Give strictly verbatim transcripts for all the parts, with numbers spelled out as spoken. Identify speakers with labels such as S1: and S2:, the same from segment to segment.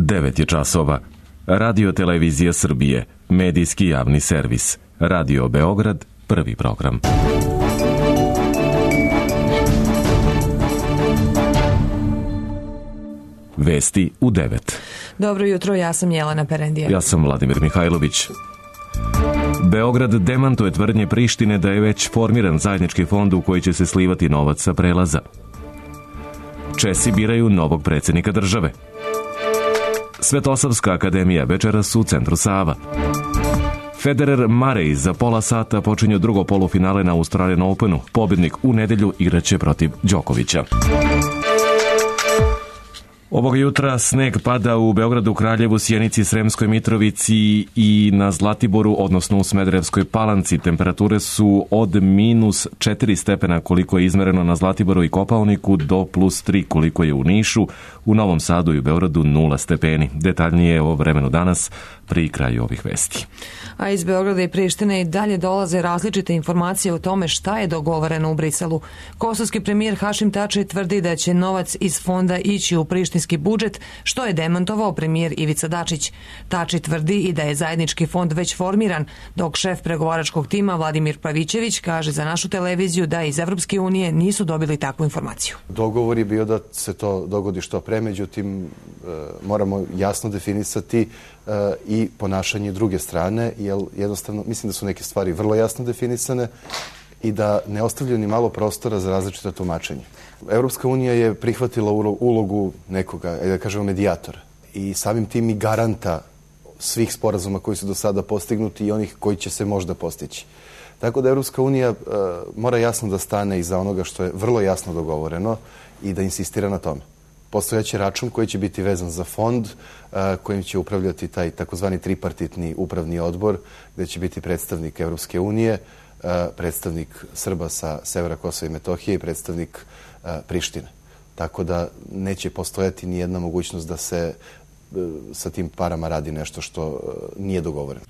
S1: devet je časova. Radio Televizija Srbije, medijski javni servis. Radio Beograd, prvi program. Vesti u devet.
S2: Dobro jutro, ja sam Jelena Perendija.
S1: Ja sam Vladimir Mihajlović. Beograd demantuje tvrdnje Prištine da je već formiran zajednički fond u koji će se slivati novac sa prelaza. Česi biraju novog predsjednika države. Svetosavska akademija večeras u centru Sava. Federer Murray za pola sata počinju drugo polufinale na Australian Openu. Pobjednik u nedelju igraće protiv Đokovića. Ovog jutra sneg pada u Beogradu, Kraljevu, Sjenici, Sremskoj Mitrovici i na Zlatiboru, odnosno u Smederevskoj Palanci. Temperature su od minus četiri stepena koliko je izmereno na Zlatiboru i Kopaoniku do plus tri koliko je u Nišu. U Novom Sadu i u Beogradu nula stepeni. Detaljnije o vremenu danas pri kraju ovih vesti.
S2: A iz Beograda i Prištine i dalje dolaze različite informacije o tome šta je dogovoreno u Briselu. Kosovski premijer Hašim Tači tvrdi da će novac iz fonda ići u prištinski budžet, što je demantovao premijer Ivica Dačić. Tači tvrdi i da je zajednički fond već formiran, dok šef pregovaračkog tima Vladimir Pavićević kaže za našu televiziju da iz Evropske unije nisu dobili takvu informaciju.
S3: Dogovor je bio da se to dogodi što pre, međutim moramo jasno definisati i ponašanje druge strane, jer jednostavno mislim da su neke stvari vrlo jasno definisane i da ne ostavljaju ni malo prostora za različita tumačenja. Evropska unija je prihvatila ulogu nekoga, da kažemo medijatora, i samim tim i garanta svih sporazuma koji su do sada postignuti i onih koji će se možda postići. Tako da Evropska unija uh, mora jasno da stane iza onoga što je vrlo jasno dogovoreno i da insistira na tome. Postojaće račun koji će biti vezan za fond uh, kojim će upravljati taj takozvani tripartitni upravni odbor, gde će biti predstavnik Evropske unije, uh, predstavnik Srba sa severa Kosova i Metohije i predstavnik uh, Prištine. Tako da neće postojati ni jedna mogućnost da se uh, sa tim parama radi nešto što uh, nije dogovoreno.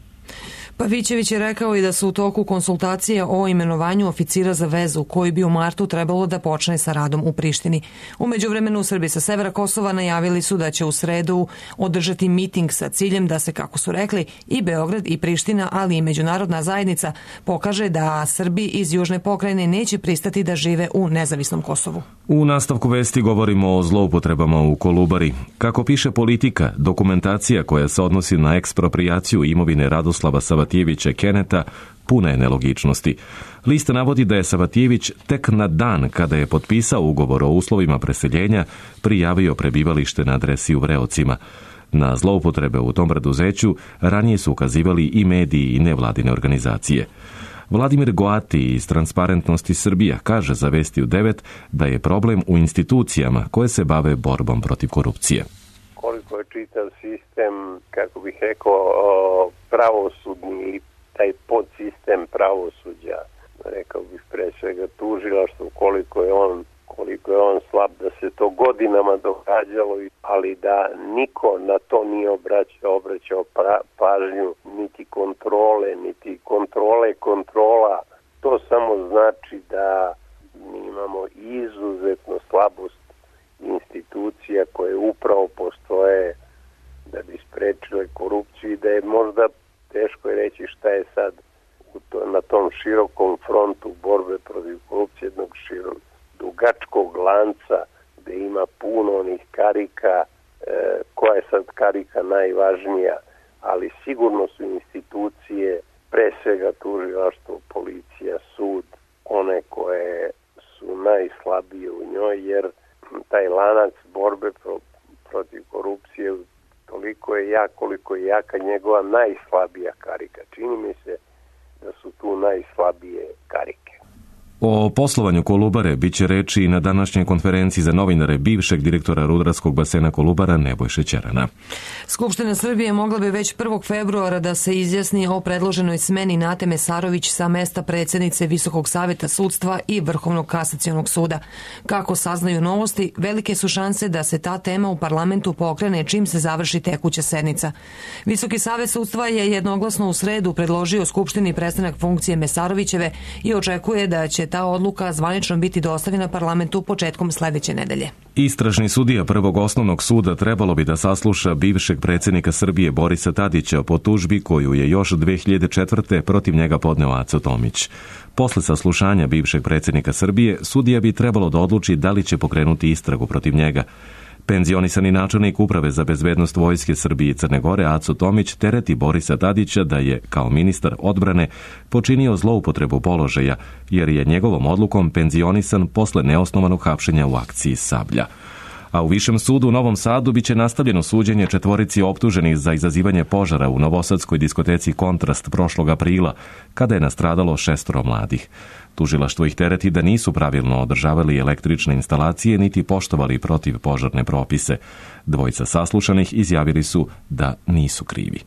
S2: Pavićević je rekao i da su u toku konsultacije o imenovanju oficira za vezu, koji bi u martu trebalo da počne sa radom u Prištini. U međuvremenu Srbi sa severa Kosova najavili su da će u sredu održati miting sa ciljem da se, kako su rekli, i Beograd i Priština, ali i međunarodna zajednica pokaže da Srbi iz Južne pokrajine neće pristati da žive u nezavisnom Kosovu.
S1: U nastavku vesti govorimo o zloupotrebama u Kolubari. Kako piše Politika, dokumentacija koja se odnosi na eksproprijaciju imovine Radoslava Savatijevića Keneta puna je nelogičnosti. Lista navodi da je Savatijević tek na dan kada je potpisao ugovor o uslovima preseljenja prijavio prebivalište na adresi u Vreocima. Na zloupotrebe u tom preduzeću ranije su ukazivali i mediji i nevladine organizacije. Vladimir Goati iz Transparentnosti Srbija kaže za Vesti u devet da je problem u institucijama koje se bave borbom protiv korupcije.
S4: Koliko je čitav sistem, kako bih rekao, pravosudni ili taj podsistem pravosuđa, rekao bih pre svega tužilaštvo, koliko je on koliko je on slab, da se to godinama događalo, ali da niko na to nije obraćao, obraćao pra, pažnju, niti kontrole, niti kontrole kontrola. To samo znači da mi imamo izuzetno slabost institucija koje upravo postoje da bi sprečile korupciju i da je možda teško je reći šta je sad u to, na tom širokom frontu borbe protiv korupcije, jednog širokog dugačkog lanca gde ima puno onih karika, e, koja je sad karika najvažnija, ali sigurno su institucije, pre svega tužilaštvo, policija, sud, one koje su najslabije u njoj, jer taj lanac borbe pro, protiv korupcije toliko je jak koliko je jaka njegova najslabija karika. Čini mi se da su tu najslabije karike.
S1: O poslovanju Kolubare biće reči i na današnjoj konferenciji za novinare bivšeg direktora rudarskog basena Kolubara Nebojše Ćerana.
S2: Skupština Srbije mogla bi već prvog februara da se izjasni o predloženoj smeni Nate Mesarović sa mesta predsjednice Visokog saveta sudstva i Vrhovnog kasacionog suda. Kako saznaju novosti, velike su šanse da se ta tema u parlamentu pokrene čim se završi tekuća sednica. Visoki savet sudstva je jednoglasno u sredu predložio Skupštini prestanak funkcije Mesarovićeve i očekuje da će će ta odluka zvanično biti dostavljena parlamentu početkom sledeće nedelje.
S1: Istražni sudija Prvog osnovnog suda trebalo bi da sasluša bivšeg predsjednika Srbije Borisa Tadića po tužbi koju je još dve hiljade četvrte. protiv njega podneo Aco Tomić. Posle saslušanja bivšeg predsjednika Srbije, sudija bi trebalo da odluči da li će pokrenuti istragu protiv njega. Penzionisani načelnik Uprave za bezbednost Vojske Srbije i Crne Gore Aco Tomić tereti Borisa Tadića da je, kao ministar odbrane, počinio zloupotrebu položaja, jer je njegovom odlukom penzionisan posle neosnovanog hapšenja u akciji Sablja. A u Višem sudu u Novom Sadu biće nastavljeno suđenje četvorici optuženih za izazivanje požara u novosadskoj diskoteci Kontrast prošlog aprila, kada je nastradalo šestoro mladih. Tužilaštvo ih tereti da nisu pravilno održavali električne instalacije niti poštovali protivpožarne propise. Dvojica saslušanih izjavili su da nisu krivi.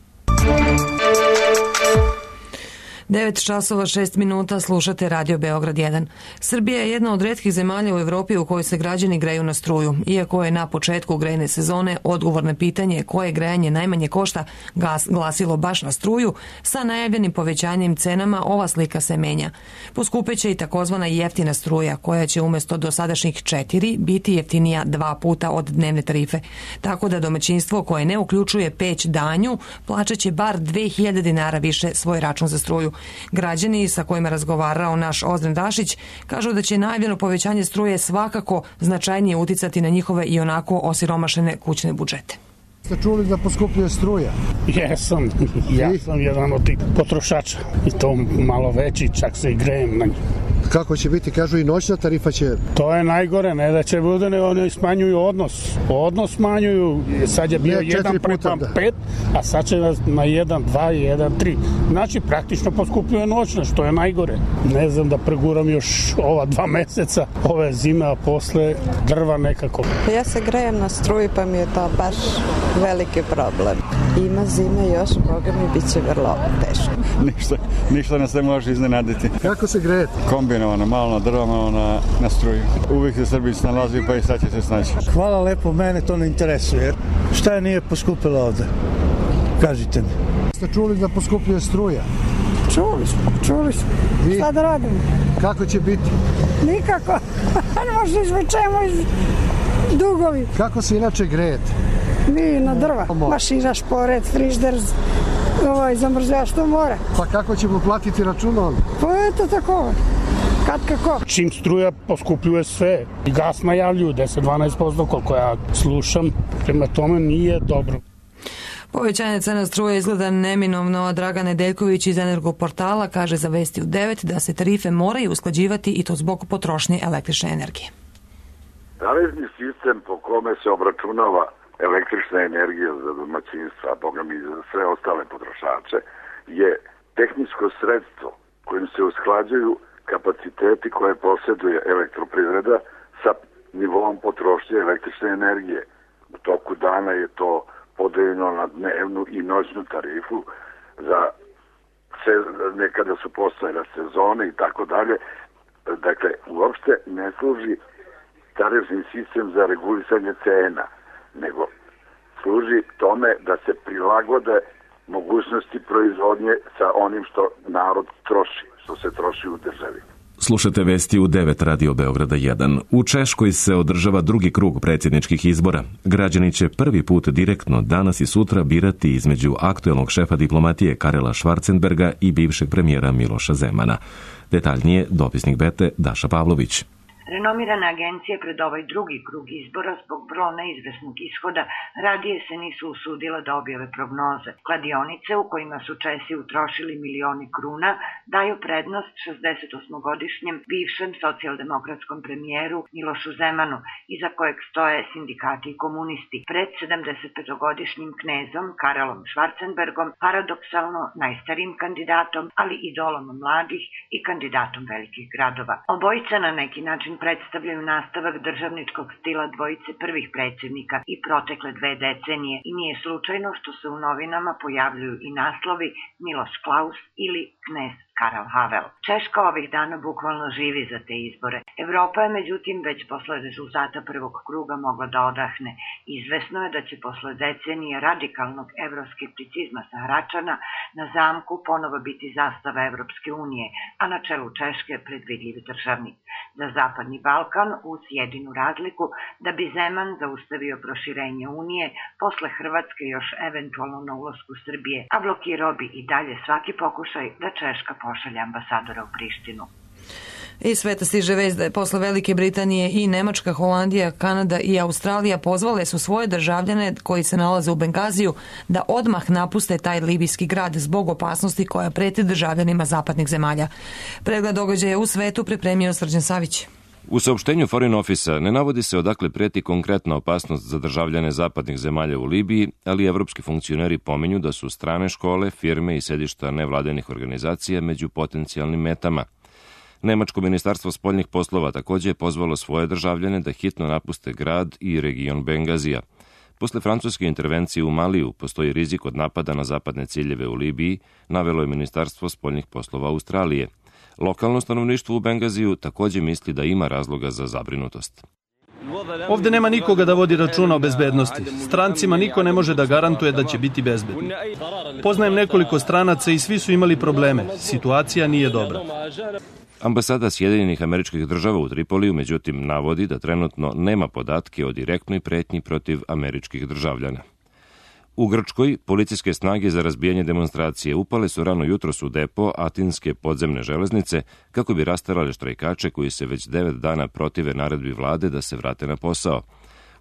S2: devet časova šest minuta, slušate Radio Beograd jedan. Srbija je jedna od retkih zemalja u Evropi u kojoj se građani greju na struju. Iako je na početku grejne sezone odgovorno pitanje koje grejanje najmanje košta gas glasilo baš na struju, sa najavljenim povećanjem cenama ova slika se menja. Poskupeće i takozvana jeftina struja, koja će umjesto dosadašnjih četiri biti jeftinija dva puta od dnevne tarife. Tako da domaćinstvo koje ne uključuje peć danju plaćaće bar dve hiljade dinara više svoj račun za struju. Građani sa kojima razgovarao naš Ozren Dašić kažu da će najavljeno povećanje struje svakako značajnije uticati na njihove i onako osiromašene kućne budžete.
S5: Ste čuli da poskupljuje struja?
S6: Jesam, ja sam jedan od tih potrošača i to malo veći, čak se i grejem na njih.
S5: Kako će biti? Kažu i noćna tarifa će...
S6: To je najgore, ne da će bude, ne, oni smanjuju odnos. Odnos smanjuju, sad je bio jedan prema pet, a sad će na jedan, dva i jedan, tri. Znači, praktično poskupljuje noćna, što je najgore. Ne znam da preguram još ova dva meseca, ove zime, a posle drva nekako.
S7: Ja se grejem na struju, pa mi je to baš veliki problem. Ima zime još, Boga mi bit će vrlo teško.
S8: Ništa, ništa nas ne može iznenaditi.
S5: Kako se grejete?
S8: Kombinovano, malo na drva, malo na, na struju. Uvijek se Srbiji snalazi, pa i sad će se snaći.
S9: Hvala lepo, mene to ne interesuje. Šta je nije poskupilo ovde? Kažite mi.
S5: Ste čuli da poskupljuje struja?
S10: Čuli smo, čuli smo. I? Šta da radimo?
S5: Kako će biti?
S10: Nikako. Ne možda izvučemo iz dugovi.
S5: Kako se inače grejete?
S10: Mi na drva. Mašina, šporet, frižder, ovaj, zamrzač, to mora.
S5: Pa kako ćemo platiti račun onda?
S10: Pa eto tako. Kad kako?
S6: Čim struja poskupljuje sve. I gas najavljuju deset do dvanaest posto koliko ja slušam. Prema tome nije dobro.
S2: Povećanje cena struje izgleda neminovno, a Dragan Nedeljković iz Energoportala kaže za Vesti u devet da se tarife moraju usklađivati i to zbog potrošnje električne energije.
S11: Tariffni sistem po kome se obračunava električna energija za domaćinstva, a boga mi za sve ostale potrošače, je tehničko sredstvo kojim se usklađuju kapaciteti koje posjeduje elektroprivreda sa nivom potrošnje električne energije. U toku dana je to podeljeno na dnevnu i noćnu tarifu, za se, nekada su postojene sezone i tako dalje. Dakle, uopšte ne služi tarifni sistem za regulisanje cena, nego služi tome da se prilagode mogućnosti proizvodnje sa onim što narod troši, što se troši u državi.
S1: Slušate Vesti u devet Radio Beograda jedan. U Češkoj se održava drugi krug predsjedničkih izbora. Građani će prvi put direktno danas i sutra birati između aktuelnog šefa diplomatije Karela Schwarzenberga i bivšeg premijera Miloša Zemana. Detaljnije dopisnik Bete Daša Pavlović.
S12: Renomirane agencije pred ovaj drugi krug izbora zbog vrlo neizvesnog ishoda radije se nisu usudile da objave prognoze. Kladionice u kojima su Česi utrošili milioni kruna daju prednost šezdesetosmogodišnjem bivšem socijaldemokratskom premijeru Milošu Zemanu, iza kojeg stoje sindikati i komunisti, pred sedamdesetpetogodišnjim knezom Karelom Schwarzenbergom, paradoksalno najstarijim kandidatom, ali idolom mladih i kandidatom velikih gradova. Obojica na neki način predstavljaju nastavak državničkog stila dvojice prvih predsjednika i protekle dve decenije i nije slučajno što se u novinama pojavljuju i naslovi Miloš Klaus ili knez Karel Havel. Češka ovih dana bukvalno živi za te izbore. Evropa je međutim već posle rezultata prvog kruga mogla da odahne. Izvesno je da će posle decenije radikalnog evroskepticizma sa Hračana na zamku ponovo biti zastava Evropske unije, a na čelu Češke predvidljiv državnik. Za Zapadni Balkan uz jedinu razliku da bi Zeman zaustavio proširenje Unije, posle Hrvatske još eventualno na ulasku Srbije, a blokirao bi i dalje svaki pokušaj da Češka pošalje ambasadora u Prištinu.
S2: Iz sveta stiže vest da je posle Velike Britanije i Nemačka, Holandija, Kanada i Australija pozvale su svoje državljane koji se nalaze u Bengaziju da odmah napuste taj libijski grad zbog opasnosti koja preti državljanima zapadnih zemalja. Pregled događaja u svetu pripremio Srđan Savić.
S13: U saopštenju Foreign Office-a ne navodi se odakle preti konkretna opasnost za državljane zapadnih zemalja u Libiji, ali evropski funkcioneri pominju da su strane škole, firme i sedišta nevladenih organizacija među potencijalnim metama. Nemačko ministarstvo spoljnih poslova takođe je pozvalo svoje državljane da hitno napuste grad i region Bengazija. Posle francuske intervencije u Maliju postoji rizik od napada na zapadne ciljeve u Libiji, navelo je ministarstvo spoljnih poslova Australije. Lokalno stanovništvo u Bengaziju takođe misli da ima razloga za zabrinutost.
S14: Ovde nema nikoga da vodi računa o bezbednosti. Strancima niko ne može da garantuje da će biti bezbedni. Poznajem nekoliko stranaca i svi su imali probleme. Situacija nije dobra.
S13: Ambasada Sjedinjenih Američkih Država u Tripoliju međutim navodi da trenutno nema podatke o direktnoj pretnji protiv američkih državljana. U Grčkoj policijske snage za razbijanje demonstracije upale su rano jutros u depo Atinske podzemne železnice kako bi rasterale štrajkače koji se već devet dana protive naredbi vlade da se vrate na posao.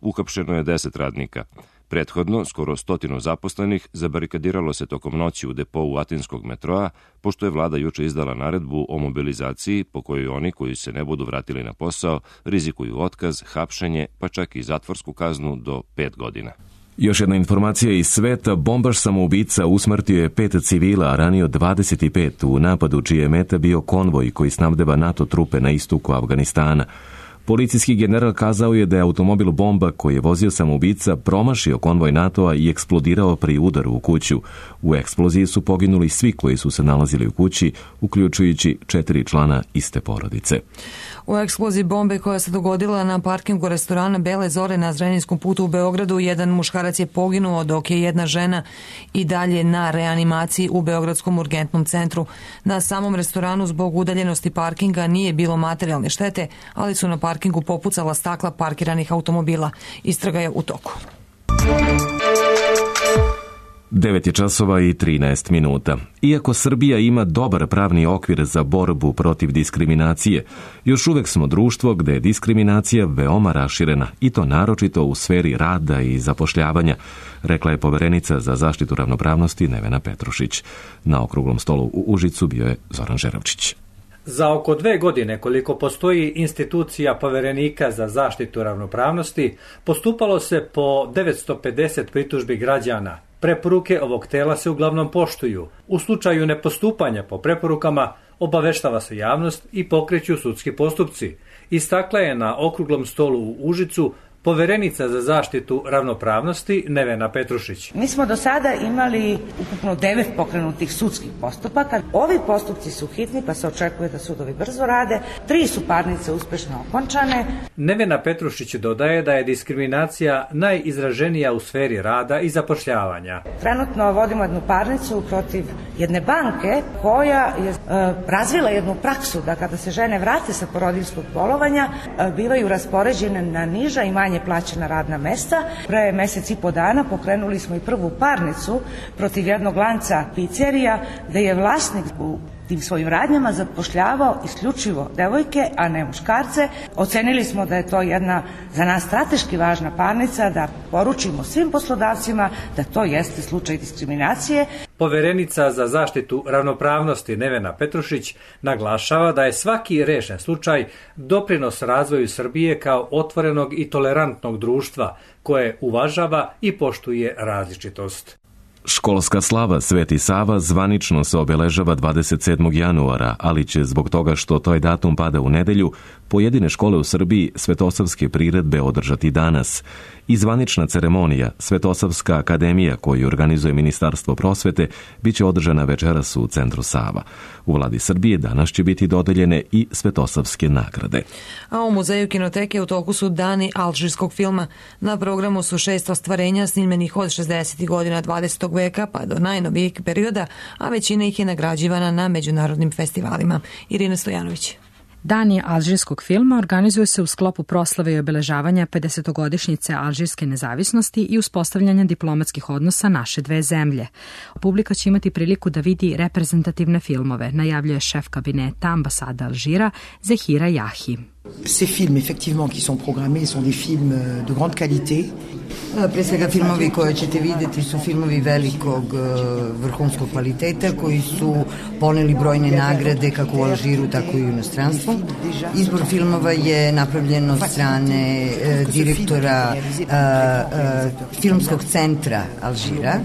S13: Uhapšeno je deset radnika. Prethodno, skoro stotinu zaposlenih zabarikadiralo se tokom noći u depou Atinskog metroa, pošto je vlada juče izdala naredbu o mobilizaciji po kojoj oni koji se ne budu vratili na posao rizikuju otkaz, hapšenje, pa čak i zatvorsku kaznu do pet godina.
S1: Još jedna informacija iz sveta, bombaš samoubica usmrtio je pet civila, a ranio dvadeset pet u napadu čije je meta bio konvoj koji snabdeva NATO trupe na istoku Afganistana. Policijski general kazao je da je automobil bomba koji je vozio samoubica promašio konvoj NATO-a i eksplodirao pri udaru u kuću. U eksploziji su poginuli svi koji su se nalazili u kući, uključujući četiri člana iste porodice.
S2: U eksploziji bombe koja se dogodila na parkingu restorana Bele Zore na Zrenjskom putu u Beogradu, jedan muškarac je poginuo dok je jedna žena i dalje na reanimaciji u Beogradskom urgentnom centru. Na samom restoranu zbog udaljenosti parkinga nije bilo materijalne štete, ali su na parkingu popucala stakla parkiranih automobila. Istraga je u toku.
S1: devet je časova i trinaest minuta. Iako Srbija ima dobar pravni okvir za borbu protiv diskriminacije, još uvek smo društvo gde je diskriminacija veoma raširena i to naročito u sferi rada i zapošljavanja, rekla je poverenica za zaštitu ravnopravnosti Nevena Petrušić. Na okruglom stolu u Užicu bio je Zoran Žeravčić.
S15: Za oko dve godine koliko postoji institucija poverenika za zaštitu ravnopravnosti, postupalo se po devetsto pedeset pritužbi građana. Preporuke ovog tela se uglavnom poštuju. U slučaju nepostupanja po preporukama obaveštava se javnost i pokreću sudski postupci. Istakla je na okruglom stolu u Užicu poverenica za zaštitu ravnopravnosti Nevena Petrušić.
S16: Mi smo do sada imali ukupno devet pokrenutih sudskih postupaka. Ovi postupci su hitni pa se očekuje da sudovi brzo rade. Tri su parnice uspešno okončane.
S15: Nevena Petrušić dodaje da je diskriminacija najizraženija u sferi rada i zapošljavanja.
S16: Trenutno vodimo jednu parnicu protiv jedne banke koja je e, razvila jednu praksu da kada se žene vrate sa porodiljskog bolovanja e, bivaju raspoređene na niža i manje plaćena radna mesta. Pre mesec i po dana pokrenuli smo i prvu parnicu protiv jednog lanca pizzerija gde je vlasnik u tim svojim radnjama zapošljavao isključivo devojke, a ne muškarce. Ocenili smo da je to jedna za nas strateški važna parnica, da poručimo svim poslodavcima da to jeste slučaj diskriminacije.
S15: Poverenica za zaštitu ravnopravnosti Nevena Petrušić naglašava da je svaki rešen slučaj doprinos razvoju Srbije kao otvorenog i tolerantnog društva koje uvažava i poštuje različitost.
S1: Školska slava Sveti Sava zvanično se obeležava dvadeset sedmog januara, ali će zbog toga što taj datum pada u nedelju, pojedine škole u Srbiji svetosavske priredbe održati danas. I zvanična ceremonija Svetosavska akademija koju organizuje Ministarstvo prosvete bit će održana večeras u centru Sava. U vladi Srbije danas će biti dodeljene i svetosavske nagrade.
S2: A u Muzeju kinoteke u toku su dani alžirskog filma. Na programu su šest ostvarenja snimljenih od šezdesetih godina dvadesetog veka pa do najnovijeg perioda, a većina ih je nagrađivana na međunarodnim festivalima. Irina Stojanović.
S17: Dani alžirskog filma organizuju se u sklopu proslave i obeležavanja pedesetogodišnjice alžirske nezavisnosti i uspostavljanja diplomatskih odnosa naše dve zemlje. Publika će imati priliku da vidi reprezentativne filmove, najavljuje šef kabineta ambasade Alžira Zehira Jahi.
S18: Ces films, effectivement, qui sont programmés, sont des films de grande qualité.
S19: Pre svega filmovi koje ćete vidjeti su filmovi velikog vrhunskog kvaliteta koji su poneli brojne nagrade kako u Alžiru, tako i u inostranstvu. Izbor filmova je napravljen od strane direktora filmskog centra Alžira.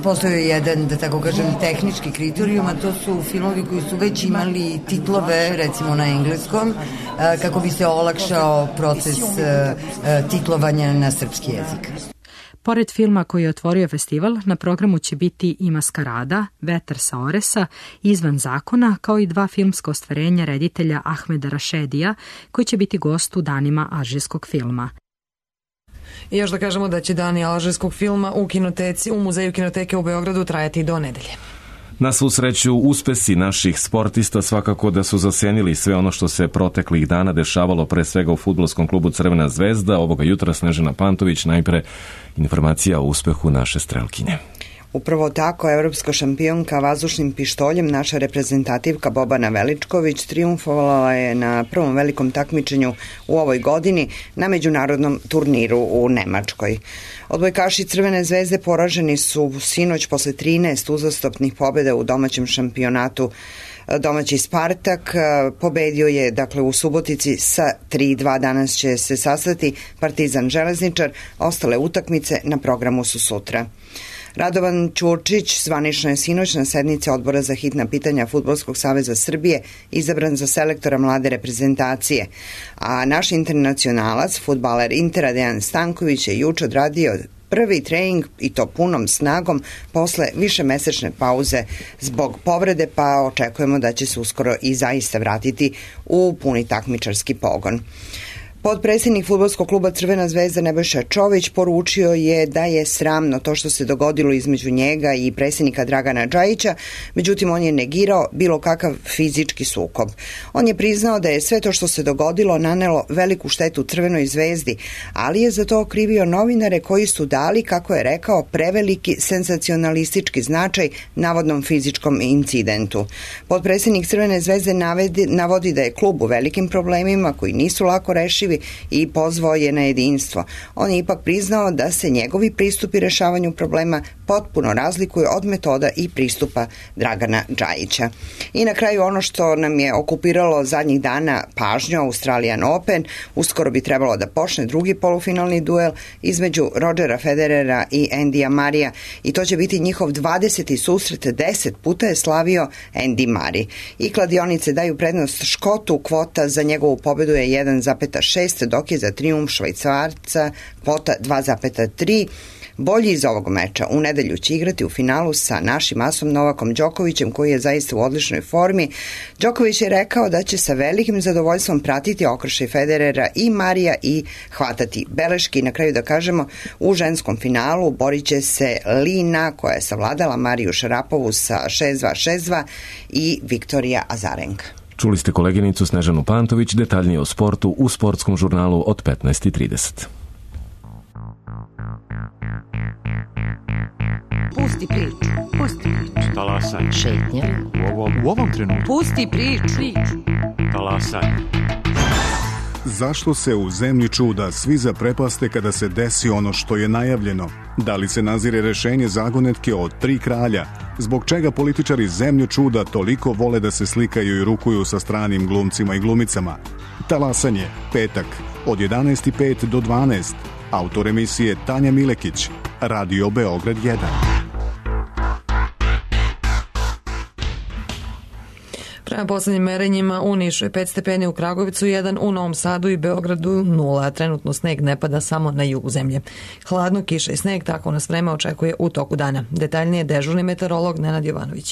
S19: Postoji jedan, da tako kažem, tehnički kriterijum, a to su filmovi koji su već imali titlove, recimo na engleskom, kako bi se olakšao proces titlovanja na srpski jezik.
S17: Pored filma koji je otvorio festival, na programu će biti i Maskarada, Vetar sa Oresa, Izvan zakona, kao i dva filmska ostvarenja reditelja Ahmeda Rašedija, koji će biti gost u danima alžirskog filma.
S2: I još da kažemo da će dani alžirskog filma u kinoteci, u Muzeju kinoteke u Beogradu trajati do nedelje.
S1: Na svu sreću, uspesi naših sportista svakako da su zasenili sve ono što se proteklih dana dešavalo pre svega u fudbalskom klubu Crvena zvezda. Ovoga jutra Snežana Pantović, najpre informacija o uspehu naše strelkinje.
S20: Upravo tako, evropska šampionka vazdušnim pištoljem, naša reprezentativka Bobana Veličković, trijumfovala je na prvom velikom takmičenju u ovoj godini na međunarodnom turniru u Nemačkoj. Odbojkaši Crvene zvezde poraženi su sinoć posle trinaest uzastopnih pobjeda u domaćem šampionatu. Domaći Spartak pobedio je, dakle, u Subotici sa tri dva. Danas će se sastati Partizan Železničar, ostale utakmice na programu su sutra. Radovan Ćurčić zvanično je sinoć na sednici Odbora za hitna pitanja Fudbalskog saveza Srbije izabran za selektora mlade reprezentacije, a naš internacionalac, fudbaler Intera Dejan Stanković je juče odradio prvi trening i to punom snagom posle višemesečne pauze zbog povrede, pa očekujemo da će se uskoro i zaista vratiti u puni takmičarski pogon. Potpredsjednik fudbalskog kluba Crvena zvezda Nebojša Čović poručio je da je sramno to što se dogodilo između njega i predsjednika Dragana Džajića, međutim on je negirao bilo kakav fizički sukob. On je priznao da je sve to što se dogodilo nanelo veliku štetu Crvenoj zvezdi, ali je za to okrivio novinare koji su dali, kako je rekao, preveliki senzacionalistički značaj navodnom fizičkom incidentu. Potpredsjednik Crvene zvezde navedi, navodi da je klub u velikim problemima koji nisu lako rešivi i pozvao je na jedinstvo. On je ipak priznao da se njegovi pristupi rešavanju problema potpuno razlikuju od metoda i pristupa Dragana Džajića. I na kraju ono što nam je okupiralo zadnjih dana pažnju, Australian Open, uskoro bi trebalo da počne drugi polufinalni duel između Rodgera Federera i Andyja Marija i to će biti njihov dvadeseti susret, deset puta je slavio Andy Murray. I kladionice daju prednost Škotu, kvota za njegovu pobedu je jedan zarez šest, dok je za trijumf Švajcarca kvota dva zarez tri. Bolji iz ovog meča u nedelju će igrati u finalu sa našim asom Novakom Đokovićem, koji je zaista u odličnoj formi. Đoković je rekao da će sa velikim zadovoljstvom pratiti okršaj Federera i Marija i hvatati beleški. Na kraju da kažemo, u ženskom finalu borit će se Lina, koja je savladala Mariju Šarapovu sa šest dva šest dva, i Viktorija Azarenka.
S1: Čuli ste koleginicu Snežanu Pantović, detaljnije o sportu u sportskom žurnalu od petnaest i trideset.
S21: Pusti priču, pusti priču.
S22: Talasaj.
S21: Šetnja.
S22: U ovom, u ovom trenutku.
S21: Pusti priču.
S22: Talasaj.
S23: Zašto se u zemlji čuda svi zaprepaste kada se desi ono što je najavljeno? Da li se nazire rešenje zagonetke od tri kralja? Zbog čega političari zemlju čuda toliko vole da se slikaju i rukuju sa stranim glumcima i glumicama? Talasanje, petak, od jedanaest i pet do dvanaest. Autor emisije Tanja Milekić, Radio Beograd jedan.
S2: Prema poslednjim merenjima u Nišu je pet stepeni, u Kragovicu jedan, u Novom Sadu i Beogradu nula, a trenutno sneg ne pada samo na jugu zemlje. Hladno, kiša i sneg, tako nas vreme očekuje u toku dana. Detaljnije dežurni meteorolog Nenad Jovanović.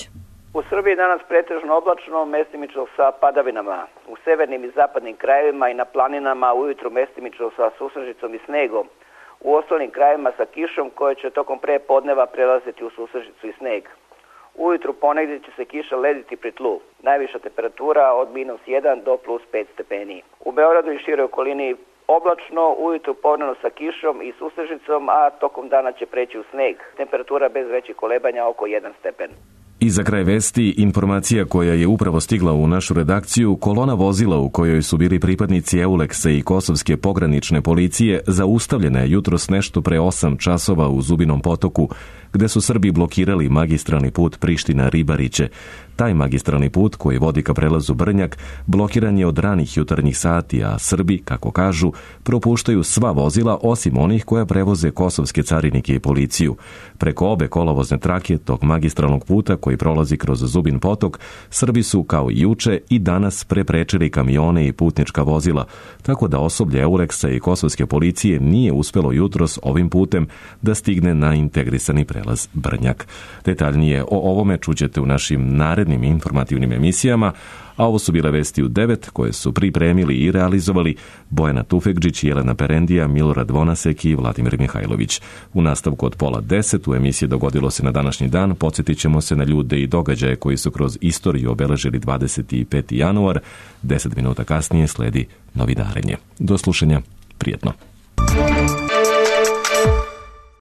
S3: U Srbiji danas pretežno oblačno, mestimično sa padavinama. U severnim i zapadnim krajevima i na planinama ujutru mestimično sa susrežicom i snegom. U ostalim krajevima sa kišom koja će tokom pre podneva prelaziti u susrežicu i sneg. Ujutru ponegdje će se kiša lediti pri tlu. Najviša temperatura od minus jedan do plus pet stepeni. U Beogradu i široj okolini oblačno, ujutru povremeno sa kišom i susrežicom, a tokom dana će preći u sneg. Temperatura bez većih kolebanja oko jedan stepen.
S1: I za kraj vesti, informacija koja je upravo stigla u našu redakciju, kolona vozila u kojoj su bili pripadnici Euleksa i Kosovske pogranične policije zaustavljena je jutros nešto pre osam časova u Zubinom Potoku, gde su Srbi blokirali magistralni put Priština-Ribariće. Taj magistralni put, koji vodi ka prelazu Brnjak, blokiran je od ranih jutarnjih sati, a Srbi, kako kažu, propuštaju sva vozila osim onih koja prevoze kosovske carinike i policiju. Preko obe kolovozne trake tog magistralnog puta koji prolazi kroz Zubin Potok, Srbi su, kao i juče, i danas preprečili kamione i putnička vozila, tako da osoblje Euleksa i kosovske policije nije uspelo jutros ovim putem da stigne na integrisani prelaz Brnjak. Detaljnije o ovome čućete u našim narednim informativnim emisijama, a ovo su bile vesti u devet koje su pripremili i realizovali Bojana Tufekđić, Jelena Perendija, Milorad Vonasek i Vladimir Mihajlović. U nastavku od pola deset u emisiji Dogodilo se na današnji dan podsjetit ćemo se na ljude i događaje koji su kroz istoriju obeležili dvadeset peti januar. Deset minuta kasnije sledi novidarenje. Do slušanja, prijetno.